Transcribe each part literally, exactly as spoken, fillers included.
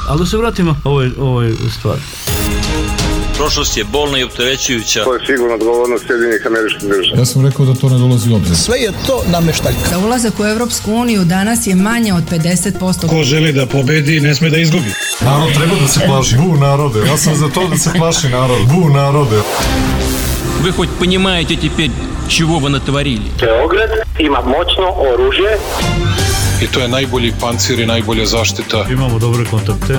Ali da se vratimo ovoj, ovoj stvari. Prošlost je bolna i opterećujuća. To je sigurno odgovornost Sjedinjenih Američkih Država. Ja sam rekao da to ne dolazi u obzir. Sve je to nameštaljka. Za ulazak u Evropsku uniju danas je manje od pedeset posto. Ko želi da pobedi, ne sme da izgubi. Narod treba da se plaši. Bu narode. Ja sam za to da se plaši narod. Bu narode. Вы хоть понимаете теперь, чего вы натворили? Beograd ima moćno oružje. I to je najbolji pancir i najbolja zaštita. Imamo dobre kontakte.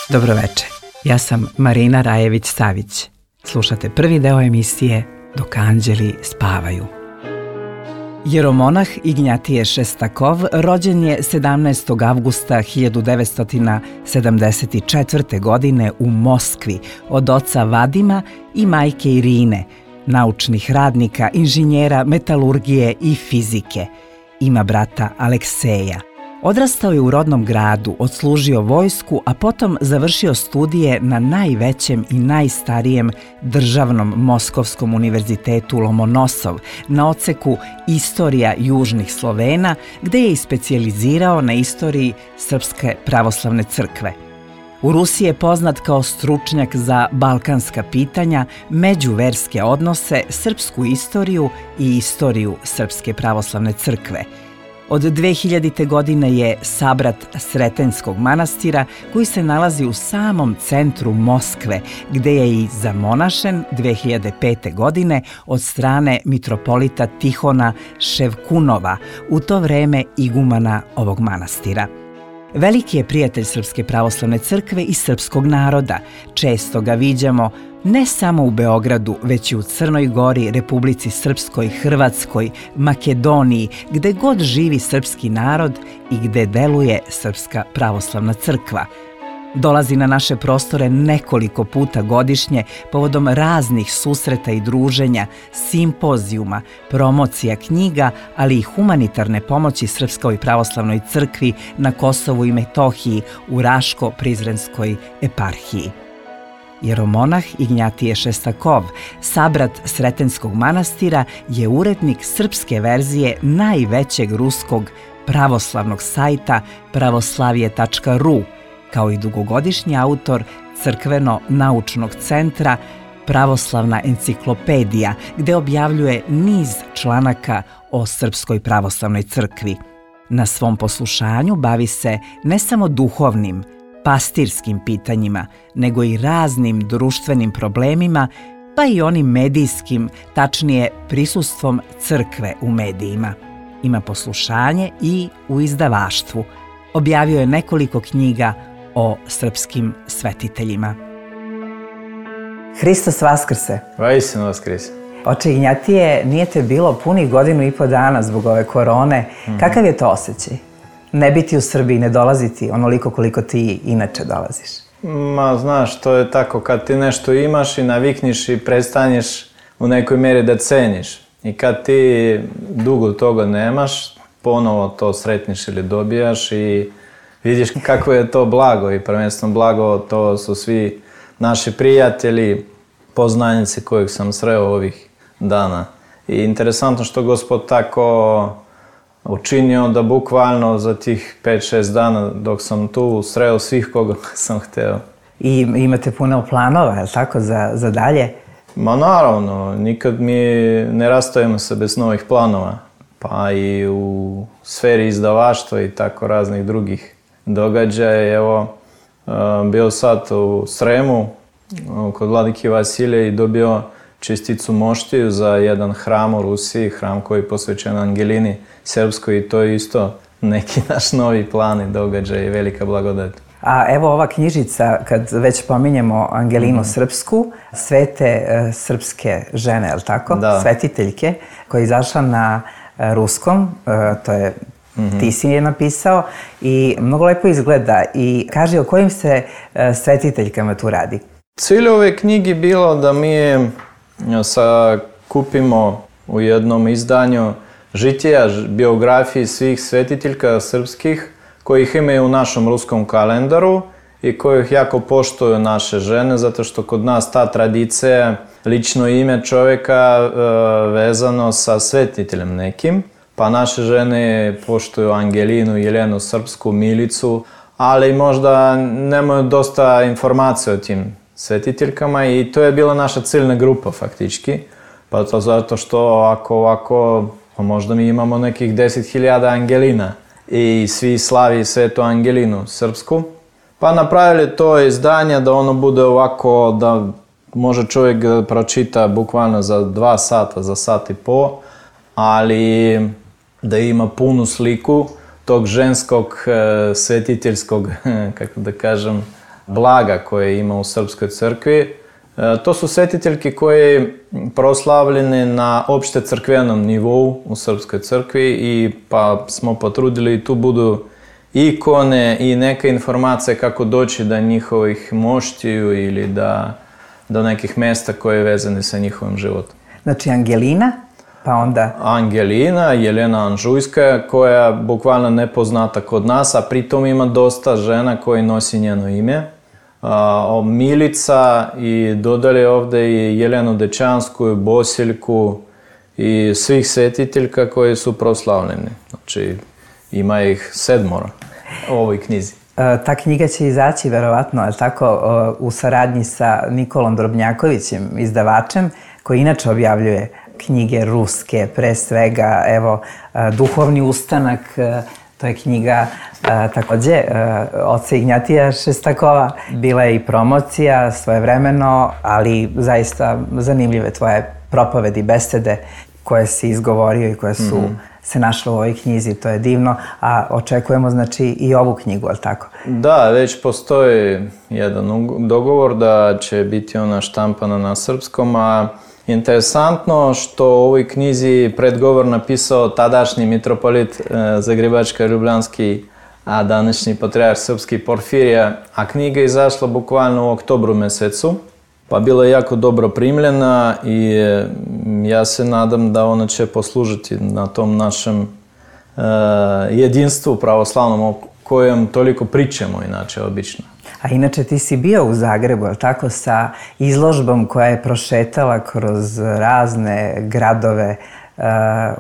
Dobro večer. Ja sam Marina Rajević-Savić. Slušate prvi deo emisije Dok anđeli spavaju. Jeromonah Ignjatije Šestakov rođen je sedamnaestog avgusta hiljadu devetsto sedamdeset četvrte. godine u Moskvi od oca Vadima i majke Irine, naučnih radnika, inženjera metalurgije i fizike. Ima brata Alekseja. Odrastao je u rodnom gradu, odslužio vojsku, a potom završio studije na najvećem i najstarijem državnom Moskovskom univerzitetu Lomonosov na odseku Istorija južnih Slovena, gde je i specijalizirao na istoriji Srpske pravoslavne crkve. U Rusiji je poznat kao stručnjak za balkanska pitanja, međuverske odnose, srpsku istoriju i istoriju Srpske pravoslavne crkve. Od dve hiljadite. godine je sabrat Sretenskog manastira koji se nalazi u samom centru Moskve, gde je i zamonašen dve hiljade pete. godine od strane mitropolita Tihona Ševkunova, u to vreme igumana ovog manastira. Veliki je prijatelj Srpske pravoslavne crkve i srpskog naroda. Često ga viđamo ne samo u Beogradu, već i u Crnoj Gori, Republici Srpskoj, Hrvatskoj, Makedoniji, gde god živi srpski narod i gde deluje Srpska pravoslavna crkva. Dolazi na naše prostore nekoliko puta godišnje povodom raznih susreta i druženja, simpozijuma, promocija knjiga, ali i humanitarne pomoći Srpskoj pravoslavnoj crkvi na Kosovu i Metohiji u Raško-Prizrenskoj eparhiji. Jeromonah Ignjatije Šestakov, sabrat Sretenskog manastira, je urednik srpske verzije najvećeg ruskog pravoslavnog sajta pravoslavije tačka ru, kao i dugogodišnji autor crkveno-naučnog centra Pravoslavna enciklopedija, gde objavljuje niz članaka o Srpskoj pravoslavnoj crkvi. Na svom poslušanju bavi se ne samo duhovnim, pastirskim pitanjima, nego i raznim društvenim problemima, pa i onim medijskim, tačnije prisustvom crkve u medijima. Ima poslušanje i u izdavaštvu. Objavio je nekoliko knjiga o srpskim svetiteljima. Hristos Vaskrse. Vaistinu Vaskrse. Oče Ignjatije, nije te bilo punih godinu i po dana zbog ove korone. Mm-hmm. Kakav je to osjećaj? Ne biti u Srbiji, ne dolaziti onoliko koliko ti inače dolaziš? Ma, znaš, to je tako, kad ti nešto imaš i navikniš i prestanješ u nekoj mjeri da ceniš. I kad ti dugo toga nemaš, ponovo to sretniš ili dobijaš i vidiš kako je to blago. I prvenstveno blago to su svi naši prijatelji, poznanici kojih sam sreo ovih dana. I interesantno što Gospod tako učinio da bukvalno za tih pet šest dana dok sam tu sreo svih koga sam hteo. I imate puno planova, je li tako, za, za dalje? Ma naravno, nikad mi ne rastajemo se bez novih planova. Pa i u sferi izdavaštva i tako raznih drugih događaja. Evo, bio sad u Sremu kod vladike Vasilija i dobio česticu moštiju za jedan hram u Rusiji, hram koji je posvećen Angelini Srpskoj i to je isto neki naš novi plan i događaj i velika blagodat. A evo ova knjižica, kad već pominjemo Angelinu mm-hmm. Srpsku, svete uh, srpske žene, je li tako? Da. Svetiteljke, koja je izašla na uh, ruskom, uh, to je mm-hmm. ti si je napisao i mnogo lepo izgleda. I kaži o kojim se uh, svetiteljkama tu radi? Cilj ove knjige bilo da mi sakupimo u jednom izdanju žitija, biografiji svih svetiteljka srpskih kojih imaju u našem ruskom kalendaru i kojih jako poštuju naše žene, zato što kod nas ta tradicija, lično ime čovjeka vezano sa svetiteljem nekim. pa naše žene poštuju Angelinu, Jelenu, Srpsku, Milicu, ali možda nemaju dosta informacija o tim svetiteljkama i to je bila naša ciljna grupa faktički. Pa to zato što ako ovako, pa možda mi imamo nekih deset hiljada Angelina i svi slavi Svetu Angelinu Srpsku. Pa napravili to izdanje da ono bude ovako da može čovjek da pročita bukvalno za dva sata, za sat i po, ali da ima punu sliku tog ženskog svetiteljskog, kako da kažem, blaga koje ima u Srpskoj crkvi. To su svetiteljke koje proslavljene na opšte crkvenom nivou u Srpskoj crkvi i pa smo potrudili i tu budu ikone i neka informacija kako doći do njihovih moštiju ili da, do nekih mesta koje je vezane sa njihovim životom. Znači Angelina, pa onda... Angelina, Jelena Anžujska, koja bukvalno nepoznata kod nas, a pritom ima dosta žena koji nosi njeno ime. A, Milica i dodali ovde i Jelenu Dečansku, Bosiljku i svih svetiteljka koji su proslavljeni. Znači ima ih sedmora u ovoj knjizi. Ta knjiga će izaći verovatno, ali tako, u saradnji sa Nikolom Drobnjakovićem, izdavačem, koji inače objavljuje knjige ruske, pre svega, evo, Duhovni ustanak, to je knjiga takođe oca Ignjatija Šestakova. Bila je i promocija svojevremeno, ali zaista zanimljive tvoje propovedi, besede koje si izgovorio i koje su mm-hmm. se našle u ovoj knjizi, to je divno, a očekujemo znači i ovu knjigu, ali tako? Da, već postoji jedan dogovor da će biti ona štampana na srpskom, a interesantno što u ovoj knjizi predgovor napisao tadašnji mitropolit Zagrebačko-Ljubljanski, a današnji patrijarh srpski Porfirija, a knjiga je izašla bukvalno u oktobru mesecu, pa bila je jako dobro primljena i ja se nadam da ona će poslužiti na tom našem uh, jedinstvu pravoslavnom o kojem toliko pričamo inače obično. A inače ti si bio u Zagrebu, ali tako, sa izložbom koja je prošetala kroz razne gradove uh,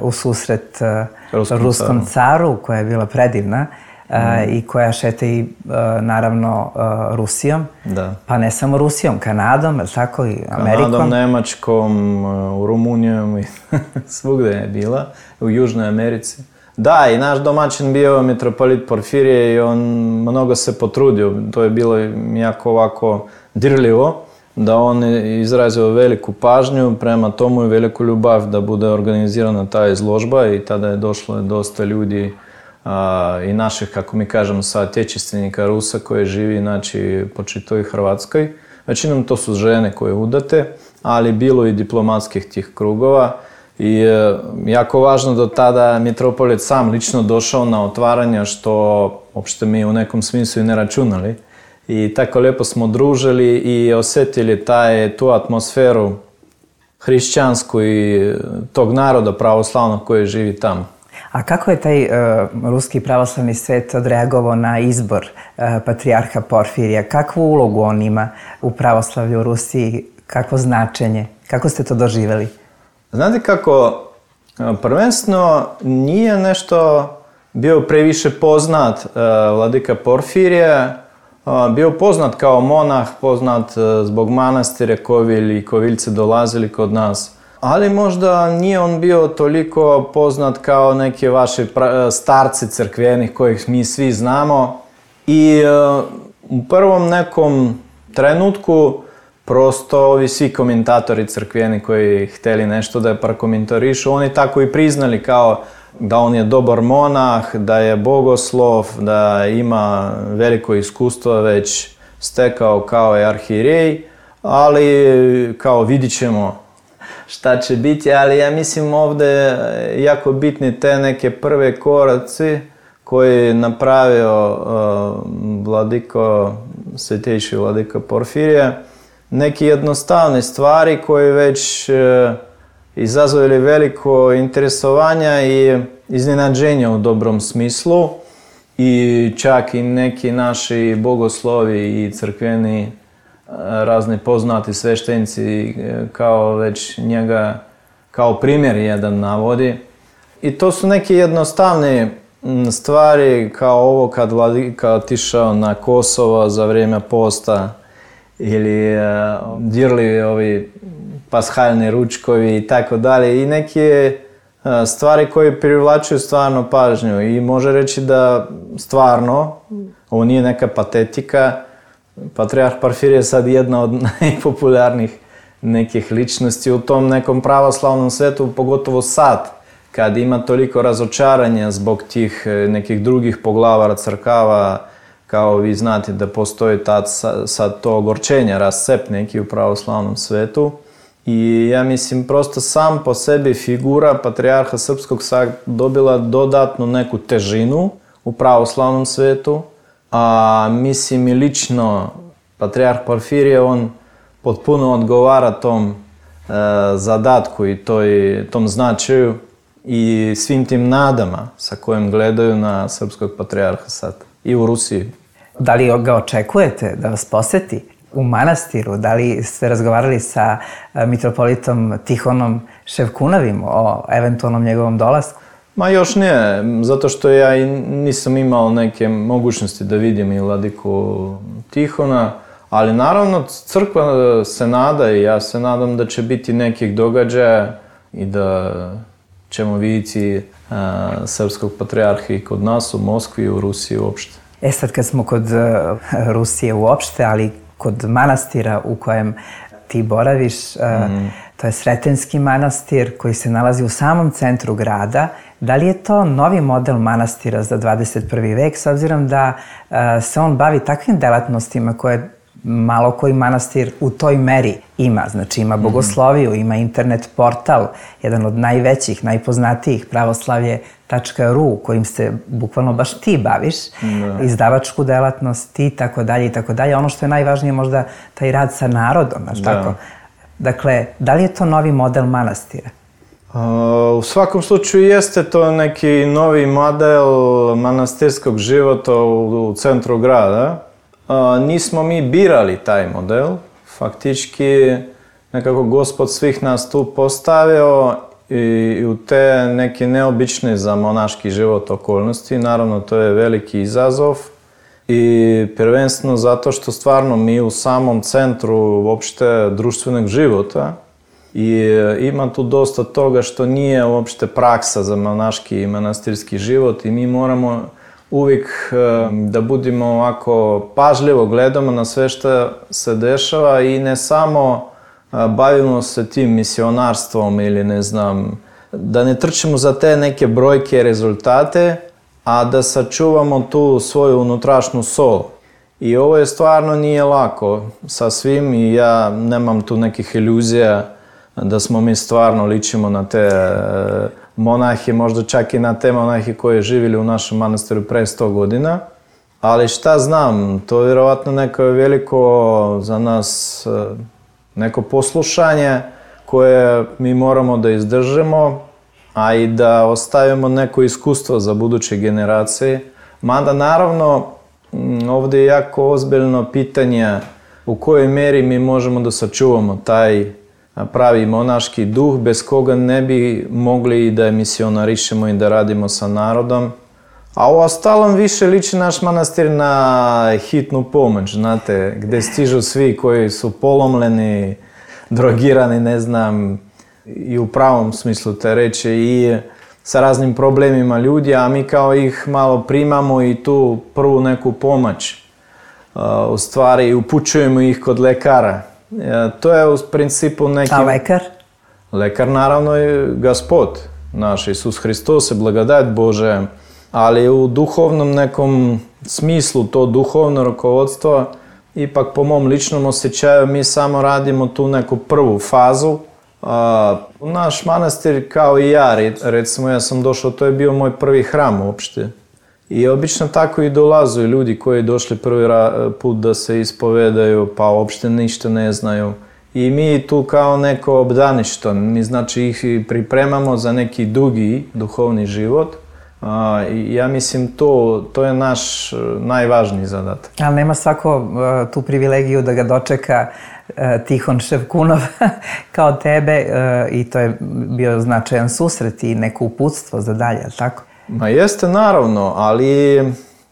u susret uh, ruskom, ruskom caru. caru, koja je bila predivna. Uh, mm. i koja šeta i uh, naravno uh, Rusijom, da. Pa ne samo Rusijom, Kanadom, ali tako i Amerikom. Kanadom, Nemačkom, uh, Rumunijom i svugde je bila, u Južnoj Americi. Da, i naš domaćin bio mitropolit Porfirije i on mnogo se potrudio, to je bilo jako ovako dirljivo, da on izrazio veliku pažnju prema tomu i veliku ljubav da bude organizirana ta izložba i tada je došlo dosta ljudi a, i naših, kako mi kažemo, saotečestvenika Rusa koji živi, znači, po čitoj Hrvatskoj. Većinom to su žene koje udate, ali bilo i diplomatskih tih krugova. I e, jako važno do tada mitropolit sam lično došao na otvaranje, što uopšte mi u nekom smislu i ne računali. I tako lijepo smo družili i osjetili taj, tu atmosferu hrišćansku i tog naroda pravoslavnog koji živi tamo. A kako je taj uh, ruski pravoslavni svet odreagovao na izbor uh, patrijarha Porfirija? Kakvu ulogu on ima u pravoslavlju u Rusiji? Kakvo značenje? Kako ste to doživjeli? Znate kako, prvenstveno nije nešto bio previše poznat uh, vladika Porfirije, uh, bio poznat kao monah, poznat uh, zbog manastire Kovilj i Koviljci dolazili kod nas. Ali možda nije on bio toliko poznat kao neki vaši starci crkvenih kojih mi svi znamo. I uh, u prvom nekom trenutku prosto ovi svi komentatori crkveni koji hteli nešto da je prokomentarišu, oni tako i priznali kao da on je dobar monah, da je bogoslov, da ima veliko iskustvo već stekao kao je arhijerej, ali kao vidit ćemo šta će biti, ali ja mislim ovde jako bitni te neke prve koraci koje je napravio uh, vladiko, svetejši vladika Porfirije. Neke jednostavne stvari koje već uh, izazvali veliko interesovanja i iznenađenja u dobrom smislu i čak i neki naši bogoslovi i crkveni razni poznati sveštenici kao već njega kao primjer jedan navodi. I to su neke jednostavne stvari kao ovo kad vladika otišao na Kosovo za vrijeme posta ili uh, dirli ovi pashaljni ručkovi i tako dalje i neke uh, stvari koje privlačuju stvarno pažnju i može reći da stvarno ovo nije neka patetika. Patrijarh Porfirije je sad jedna od najpopularnijih nekih ličnosti u tom nekom pravoslavnom svetu, pogotovo sad, kad ima toliko razočaranja zbog tih nekih drugih poglavara crkava, kao vi znate da postoji tad sad to ogorčenje, rascep neki u pravoslavnom svetu. I ja mislim prosto sam po sebi figura Patrijarha Srpskog sad dobila dodatnu neku težinu u pravoslavnom svetu, a mislim i lično Patrijarh Porfirije, on potpuno odgovara tom e, zadatku i toj, tom značaju i svim tim nadama sa kojim gledaju na srpskog patrijarha sad i u Rusiji. Da li ga očekujete da vas poseti u manastiru? Da li ste razgovarali sa mitropolitom Tihonom Ševkunavim o eventualnom njegovom dolasku? Ma još ne, zato što ja i nisam imao neke mogućnosti da vidim i vladiku Tihona, ali naravno crkva se nada i ja se nadam da će biti nekih događaja i da ćemo vidjeti a, srpskog patrijarha i kod nas u Moskvi i u Rusiji uopšte. E sad kad smo kod uh, Rusije uopšte, ali kod manastira u kojem ti boraviš, uh, mm. to je Sretenski manastir koji se nalazi u samom centru grada. Da li je to novi model manastira za dvadeset prvi vek, s obzirom da uh, se on bavi takvim delatnostima koje malo koji manastir u toj meri ima? Znači ima bogosloviju, ima internet portal, jedan od najvećih, najpoznatijih, pravoslavlje tačka ru, kojim se bukvalno baš ti baviš, da. Izdavačku delatnost i tako dalje i tako dalje. Ono što je najvažnije možda taj rad sa narodom, znaš tako? Dakle, da li je to novi model manastira? U svakom slučaju jeste to neki novi model manastirskog života u centru grada. Nismo mi birali taj model, faktički nekako Gospod svih nas tu postavio i u te neke neobične za monaški život okolnosti. Naravno, to je veliki izazov i prvenstveno zato što stvarno mi u samom centru uopšte društvenog života i ima tu dosta toga što nije uopšte praksa za monaški i manastirski život i mi moramo uvijek da budemo ovako pažljivo gledamo na sve što se dešava i ne samo bavimo se tim misionarstvom ili ne znam, da ne trčimo za te neke brojke, rezultate, a da sačuvamo tu svoju unutrašnju sol. I ovo je stvarno nije lako sa svim i ja nemam tu nekih iluzija da smo mi stvarno ličimo na te monahi, možda čak i na te monahi koji živjeli u našem manastiru pre sto godina. Ali šta znam, to je vjerovatno neko veliko za nas neko poslušanje koje mi moramo da izdržimo, a i da ostavimo neko iskustvo za buduće generacije. Mada naravno ovdje je jako ozbiljno pitanje u kojoj meri mi možemo da sačuvamo taj pravi monaški duh bez koga ne bi mogli da misionarišemo i da radimo sa narodom. A u ostalom više liči naš manastir na hitnu pomoć, znate, gdje stižu svi koji su polomljeni, drogirani, ne znam, i u pravom smislu te reči i sa raznim problemima ljudi, a mi kao ih malo primamo i tu prvu neku pomoć. U stvari upućujemo ih kod lekara. To je u principu neki... A lekar? Lekar naravno je Gospod, naš Isus Hristos, blagodat Bože, ali u duhovnom nekom smislu to duhovno rukovodstvo, ipak po mom ličnom osjećaju mi samo radimo tu neku prvu fazu. A, naš manastir kao i ja, recimo ja sam došao, to je bio moj prvi hram uopšte. I obično tako i dolazu ljudi koji došli prvi put da se ispovedaju, pa uopšte ništa ne znaju. I mi tu kao neko obdaništvo, mi znači ih pripremamo za neki dugi duhovni život, A, i ja mislim to, to je naš najvažniji zadatak. Ali nema svako uh, tu privilegiju da ga dočeka uh, Tihon Ševkunov kao tebe uh, i to je bio značajan susret i neko uputstvo za dalje, ali tako? Ma jeste naravno, ali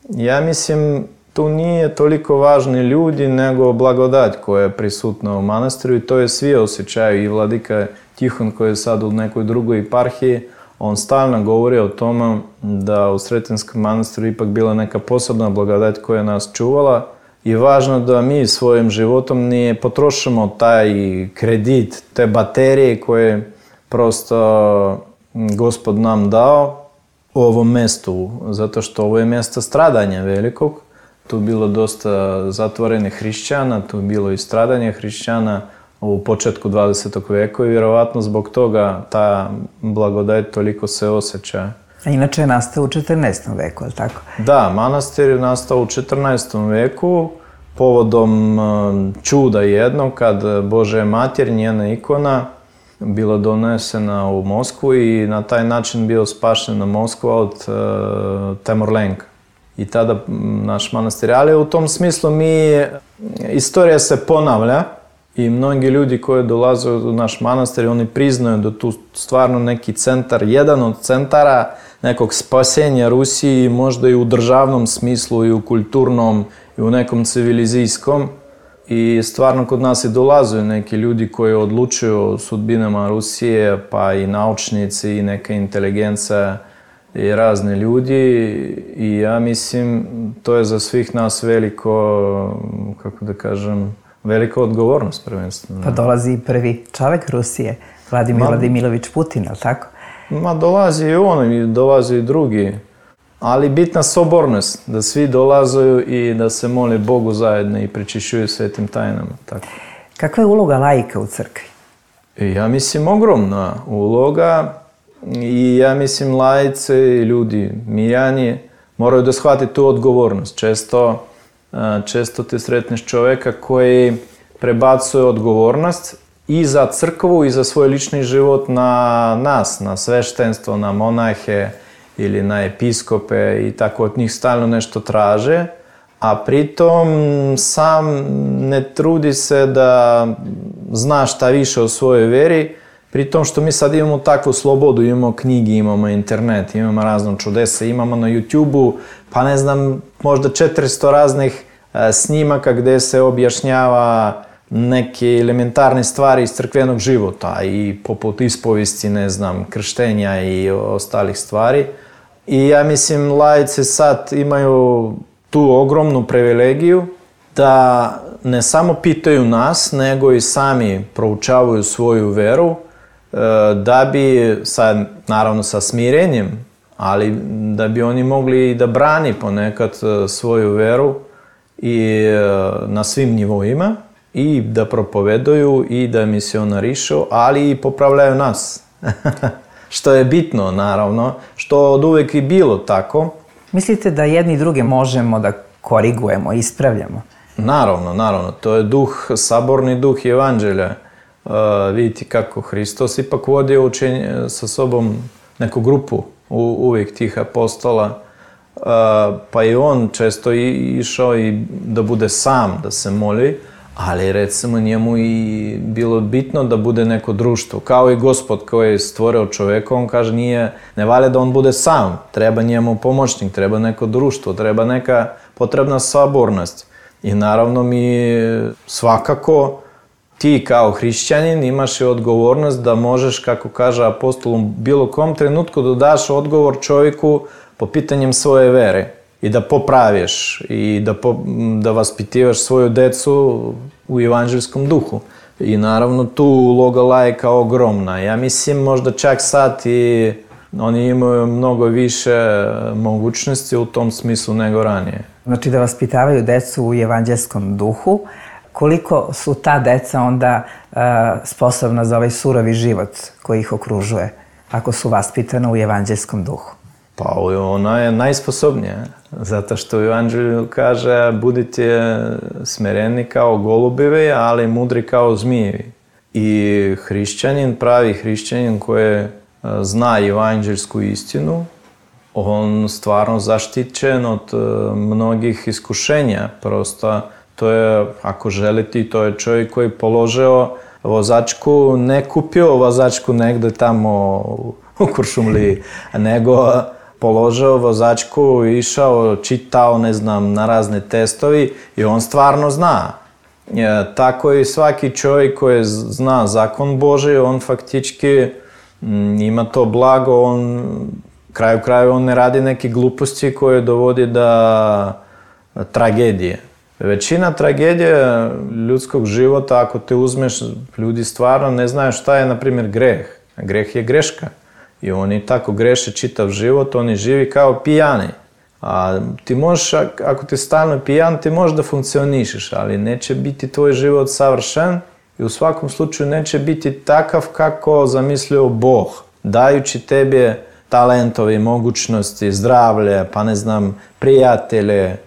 ja mislim tu nije toliko važni ljudi nego blagodat koja je prisutna u manastiru i to je svi osjećaju i vladika Tihon koji je sad u nekoj drugoj eparhiji, on stalno govori o tome da u Sretinskom manastiru ipak bila neka posebna blagodat koja nas čuvala i važno da mi svojim životom ne potrošimo taj kredit, te baterije koje prosto Gospod nam dao u ovom mjestu, zato što ovo je mjesto stradanja velikog. Tu bilo dosta zatvorenih hrišćana, tu bilo i stradanje hrišćana u početku dvadesetog veka i vjerovatno zbog toga ta blagodat toliko se osjeća. A inače je nastao u četrnaestom veku, je li tako? Da, manastir je nastao u četrnaestom veku povodom čuda jednog kad Božja mater, njena ikona, bila donesena u Moskvu i na taj način bio spašena Moskva od uh, Temurlenka. I tada naš manastir, ali u tom smislu mi, istorija se ponavlja i mnogi ljudi koji dolaze u naš manastir, oni priznaju da tu stvarno neki centar, jedan od centara nekog spasenja Rusiji, možda i u državnom smislu i u kulturnom i u nekom civilizijskom. I stvarno kod nas i dolaze neki ljudi koji odlučuju o sudbinama Rusije, pa i naučnici i neka inteligencija i razni ljudi i ja mislim to je za svih nas veliko, kako da kažem, velika odgovornost prvenstveno. Pa dolazi i prvi čovjek Rusije, Vladimir ma, Vladimirović Putin, ali tako? Ma dolazi i on i dolazi i drugi, ali bitna sobornost, da svi dolaze i da se mole Bogu zajedno i prečišćuju svetim tajnama. Tako. Kakva je uloga laika u crkvi? Ja mislim ogromna uloga. I ja mislim laici i ljudi, mirjani, moraju da shvati tu odgovornost. Često, često ti sretneš čovjeka koji prebacuje odgovornost i za crkvu i za svoj lični život na nas, na sveštenstvo, na monahe ili na episkope i tako od njih stalno nešto traže, a pritom sam ne trudi se da zna šta više o svojoj veri, pri tom što mi sad imamo takvu slobodu, imamo knjigi, imamo internet, imamo razno čudesa, imamo na YouTube-u, pa ne znam, možda četiristo raznih e, snimaka gdje se objašnjava neke elementarne stvari iz crkvenog života i poput ispovesti, ne znam, krštenja i ostalih stvari. I ja mislim, laici sad imaju tu ogromnu privilegiju da ne samo pitaju nas, nego i sami proučavaju svoju veru, da bi, sad, naravno sa smirenjem, ali da bi oni mogli i da brani ponekad svoju veru i na svim nivoima i da propovedaju i da misionarišu, ali i popravljaju nas. Što je bitno, naravno, što od uvek i bilo tako. Mislite da jedni i druge možemo da korigujemo, ispravljamo? Naravno, naravno. To je duh, saborni duh evanđelja. Uh, vidite kako Hristos ipak vodio učenje sa sobom neku grupu u, uvijek tih apostola, uh, pa i on često i, išao i da bude sam, da se moli, ali recimo njemu i bilo bitno da bude neko društvo, kao i Gospod koji je stvorio čovjeka, on kaže nije, ne valja da on bude sam, treba njemu pomoćnik, treba neko društvo, treba neka potrebna sabornost. I naravno mi svakako ti kao hrišćanin imaš i odgovornost da možeš, kako kaže apostol, u bilo kom trenutku da daš odgovor čovjeku po pitanjem svoje vere i da popraviš i da, po, da vaspitivaš svoju decu u evanđelskom duhu. I naravno tu uloga laika ogromna. Ja mislim možda čak sad i oni imaju mnogo više mogućnosti u tom smislu nego ranije. Znači da vaspitavaju decu u evanđelskom duhu. Koliko su ta deca onda uh, sposobna za ovaj surovi život koji ih okružuje, ako su vaspitana u evanđelskom duhu? Pa ona je najsposobnija, zato što u evanđelju kaže budite smereni kao golubevi, ali mudri kao zmijevi. I hrišćanin, pravi hrišćanin koji zna evanđelsku istinu, on stvarno zaštićen od mnogih iskušenja. Prosto to je, ako želite, to je čovjek koji položio vozačku, ne kupio vozačku negde tamo u Kuršumliji, nego položio vozačku, išao, čitao, ne znam, na razne testovi i on stvarno zna. E, tako i svaki čovjek koji zna zakon Božji, on faktički m, ima to blago, on kraju kraju on ne radi neke gluposti koje dovodi do tragedije. Većina tragedije ljudskog života, ako te uzmeš, ljudi stvarno ne znaju šta je, na primjer, greh. Greh je greška. I oni tako greše čitav život, oni živi kao pijani. A ti možeš, ako ti stalno pijan, ti možeš da funkcionišeš, ali neće biti tvoj život savršen i u svakom slučaju neće biti takav kako zamislio Bog, dajući tebi talentovi, mogućnosti, zdravlje, pa ne znam, prijatelje,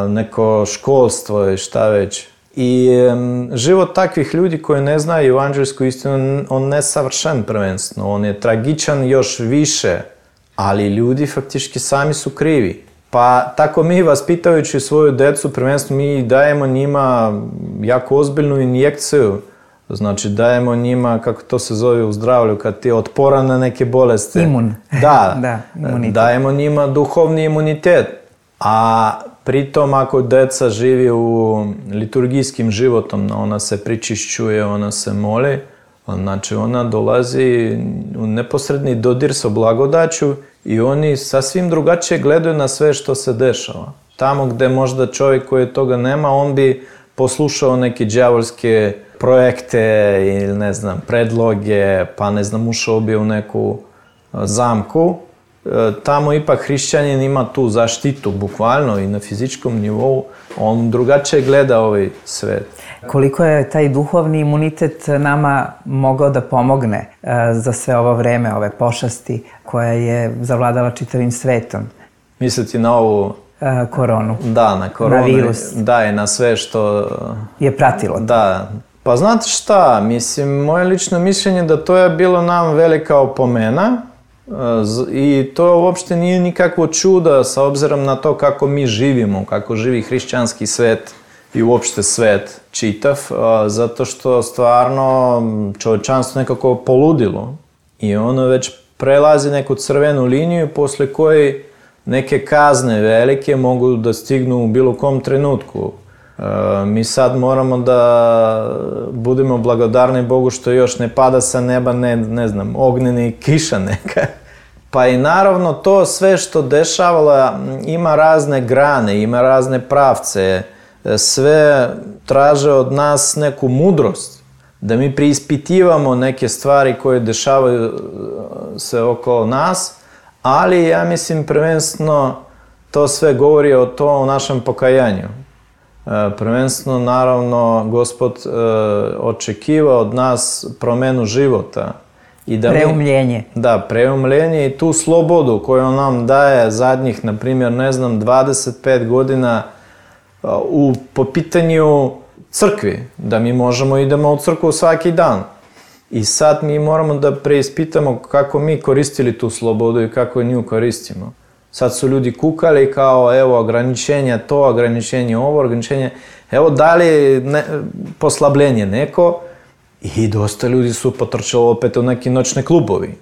neko školstvo i šta već. I um, život takvih ljudi koji ne znaju evanđelsku istinu, on ne savršen prvenstveno, on je tragičan još više, ali ljudi faktički sami su krivi. Pa tako mi, vaspitajući svoju decu, prvenstveno mi dajemo njima jako ozbiljnu injekciju. Znači dajemo njima, kako to se zove u zdravlju, kad ti je otporan na neke bolesti. Imun. Da, da imunitet. Dajemo njima duhovni imunitet. A pritom ako deca živi u liturgijskim životom, ona se pričišćuje, ona se moli, znači ona dolazi u neposredni dodir sa blagodaću i oni sasvim drugačije gledaju na sve što se dešava. Tamo gde možda čovjek koji toga nema, on bi poslušao neke đavolske projekte ili ne znam, predloge, pa ne znam, ušao bi u neku zamku. Tamo ipak hrišćanin ima tu zaštitu, bukvalno i na fizičkom nivou, on drugačije gleda ovaj svet. Koliko je taj duhovni imunitet nama mogao da pomogne za sve ovo vreme, ove pošasti koja je zavladala čitavim svetom? Misliti na ovu... koronu. Da, na koronu. Na virus. Da, i na sve što... je pratilo. Da. Pa znate šta, mislim, moje lično mišljenje da to je bilo nam velika opomena i to uopšte nije nikakvo čudo sa obzirom na to kako mi živimo, kako živi hrišćanski svet i uopšte svet čitav, zato što stvarno čovječanstvo nekako poludilo i ono već prelazi neku crvenu liniju posle koje neke kazne velike mogu da stignu u bilo kom trenutku. E, mi sad moramo da budemo blagodarni Bogu što još ne pada sa neba, ne, ne znam, ognjeni kiša neka. Pa i naravno to sve što dešavala ima razne grane, ima razne pravce, sve traže od nas neku mudrost, da mi preispitivamo neke stvari koje dešavaju se okolo nas, ali ja mislim prvenstveno to sve govori o to o našem pokajanju. Prvenstveno naravno Gospod očekiva od nas promenu života. I da preumljenje. Mi, da, preumljenje i tu slobodu koju on nam daje zadnjih, na primjer, ne znam, dvadeset pet godina u, po pitanju crkvi, da mi možemo idemo u crkvu svaki dan. I sad mi moramo da preispitamo kako mi koristili tu slobodu i kako nju koristimo. Sad su ljudi kukali kao evo ograničenje to, ograničenje ovo, ograničenje... Evo dali ne, poslabljenje neko i dosta ljudi su potrčali opet u neki noćne klubovi.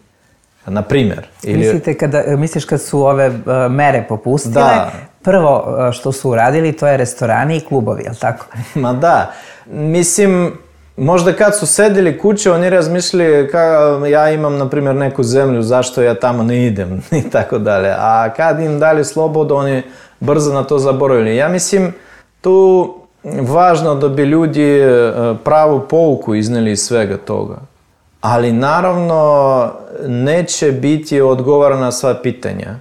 Na primjer. Ili... Mislite kada, misliš kad su ove uh, mere popustile, da. Prvo uh, što su uradili to je restorani i klubovi, je li tako? Ma da. Mislim... Možda kad su sedeli kuće, oni razmišljali kao ja imam, na primjer, neku zemlju, zašto ja tamo ne idem i tako dalje. A kad im dali slobodu, oni brzo na to zaboravili. Ja mislim, tu važno da bi ljudi pravu pouku izneli iz svega toga. Ali naravno neće biti odgovor na sva pitanja.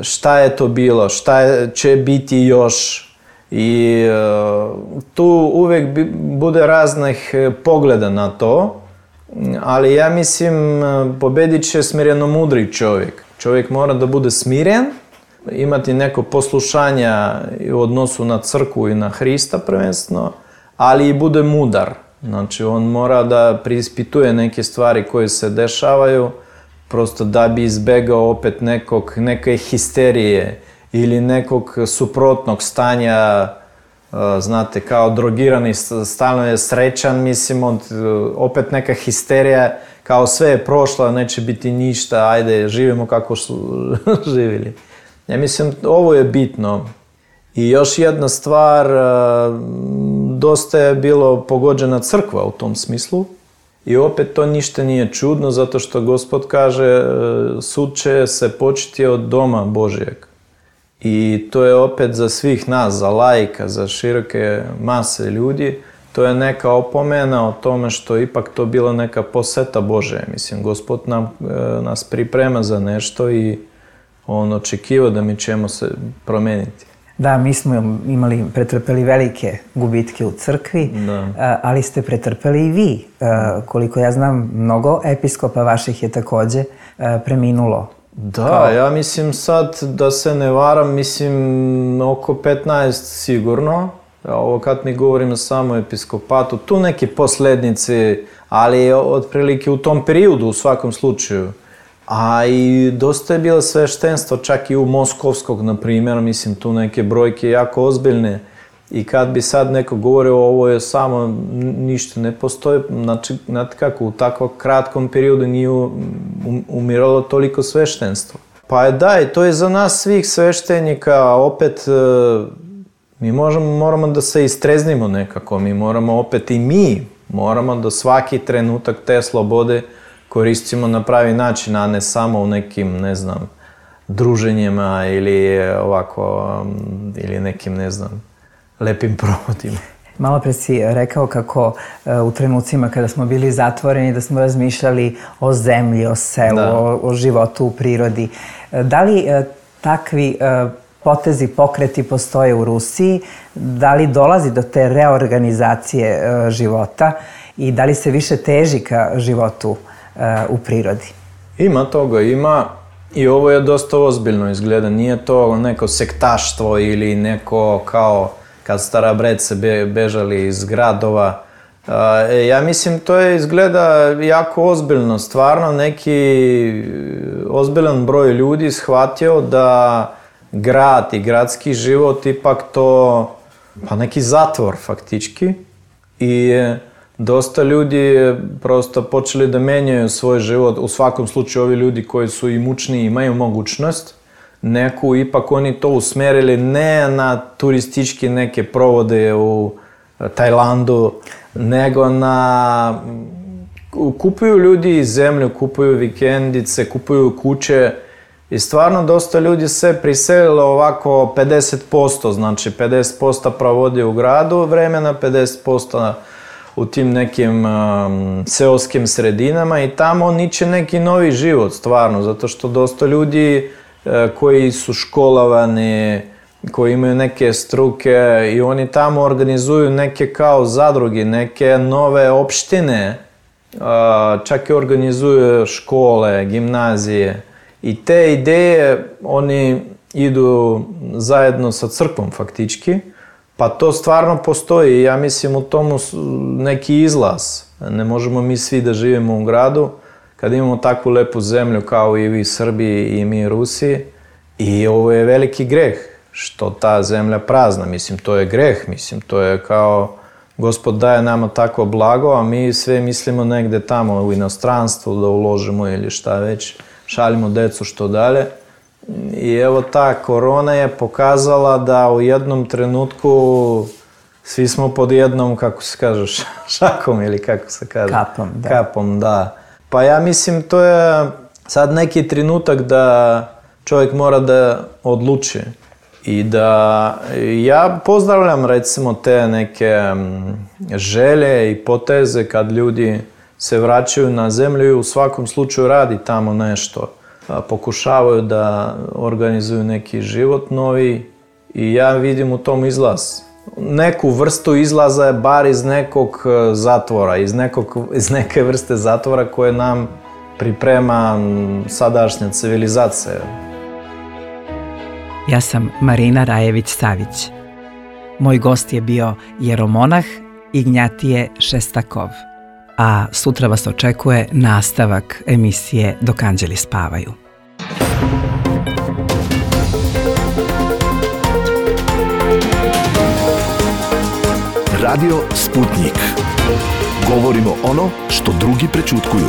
Šta je to bilo, šta je, će biti još... I uh, tu uvek bi, bude raznih pogleda na to, ali ja mislim pobedit će smireno mudri čovjek. Čovjek mora da bude smiren, imati neko poslušanja u odnosu na crkvu i na Hrista prvenstveno, ali i bude mudar. Znači on mora da preispituje neke stvari koje se dešavaju prosto da bi izbegao opet nekog, neke histerije ili nekog suprotnog stanja, znate, kao drogirani, stalno je srećan, mislim, od, opet neka histerija, kao sve je prošlo, neće biti ništa, ajde, živimo kako su živjeli. Ja mislim, ovo je bitno. I još jedna stvar, dosta je bilo pogođena crkva u tom smislu. I opet to ništa nije čudno, zato što Gospod kaže, sud će se početi od doma Božijeg. I to je opet za svih nas, za laika, za široke mase ljudi, to je neka opomena o tome što ipak to bila neka poseta Božja. Mislim, Gospod nam, nas priprema za nešto i on očekiva da mi ćemo se promeniti. Da, mi smo imali, pretrpeli velike gubitke u crkvi, da. Ali ste pretrpeli i vi. Koliko ja znam, mnogo episkopa vaših je takođe preminulo. Da, kao... ja mislim sad, da se ne varam, mislim oko petnaest sigurno. Ovo kad mi govorimo samo o episkopatu, tu neki poslednici, ali otprilike u tom periodu u svakom slučaju. A i dosta je bilo sveštenstvo, čak i u Moskovskog, na primjer, mislim tu neke brojke jako ozbiljne. I kad bi sad neko govorio ovo je samo, ništa ne postoji, znači, znate kako, u takvom kratkom periodu nije umiralo toliko sveštenstvo. Pa je da, i to je za nas svih sveštenika, opet mi možemo, moramo da se istreznimo nekako, mi moramo opet i mi, moramo da svaki trenutak te slobode koristimo na pravi način, a ne samo u nekim, ne znam, druženjima ili ovako, ili nekim, ne znam, lepim provodima. Malo pre si rekao kako u trenucima kada smo bili zatvoreni da smo razmišljali o zemlji, o selu, o, o životu u prirodi. Da li takvi potezi, pokreti postoje u Rusiji? Da li dolazi do te reorganizacije života i da li se više teži ka životu u prirodi? Ima toga, ima. I ovo je dosta ozbiljno izgleda. Nije to neko sektaštvo ili neko kao kad starabredce bežali iz gradova. Ja mislim, to je izgleda jako ozbiljno. Stvarno neki ozbiljan broj ljudi shvatio da grad i gradski život ipak to, pa neki zatvor faktički. I dosta ljudi prosto počeli da menjaju svoj život. U svakom slučaju ovi ljudi koji su imućni imaju mogućnost. Neku ipak oni to usmerili ne na turistički neke provode u Tajlandu, nego na... Kupuju ljudi zemlju, kupuju vikendice, kupuju kuće i stvarno dosta ljudi se priselilo ovako pedeset posto, znači pedeset posto provodi u gradu vremena, pedeset posto u tim nekim um, seoskim sredinama i tamo niče neki novi život stvarno, zato što dosta ljudi koji su školovani, koji imaju neke struke i oni tamo organizuju neke kao zadruge, neke nove opštine, čak i organizuju škole, gimnazije. I te ideje oni idu zajedno sa crkvom faktički, pa to stvarno postoji. Ja mislim u tomu neki izlaz. Ne možemo mi svi da živimo u gradu, kad imamo takvu lepu zemlju kao i vi Srbi i mi Rusi. I ovo je veliki greh, što ta zemlja prazna. Mislim, to je greh, mislim, to je kao Gospod daje nama takvo blago, a mi sve mislimo negde tamo u inostranstvu da uložimo ili šta već, šaljimo decu što dalje. I evo ta korona je pokazala da u jednom trenutku svi smo pod jednom, kako se kaže, šakom ili kako se kaže? Kapom, da. Kapom, da. Pa ja mislim, to je sad neki trenutak da čovjek mora da odluči i da ja pozdravljam recimo te neke želje i poteze kad ljudi se vraćaju na zemlju i u svakom slučaju radi tamo nešto. Pokušavaju da organizuju neki život novi i ja vidim u tom izlaz. Neku vrstu izlaza je bar iz nekog zatvora, iz, nekog, iz neke vrste zatvora koje nam priprema sadašnja civilizacija. Ja sam Marina Rajević-Savić. Moj gost je bio jeromonah Ignjatije Šestakov. a sutra vas očekuje nastavak emisije Dok anđeli spavaju. Radio Sputnik. Govorimo ono što drugi prećutkuju.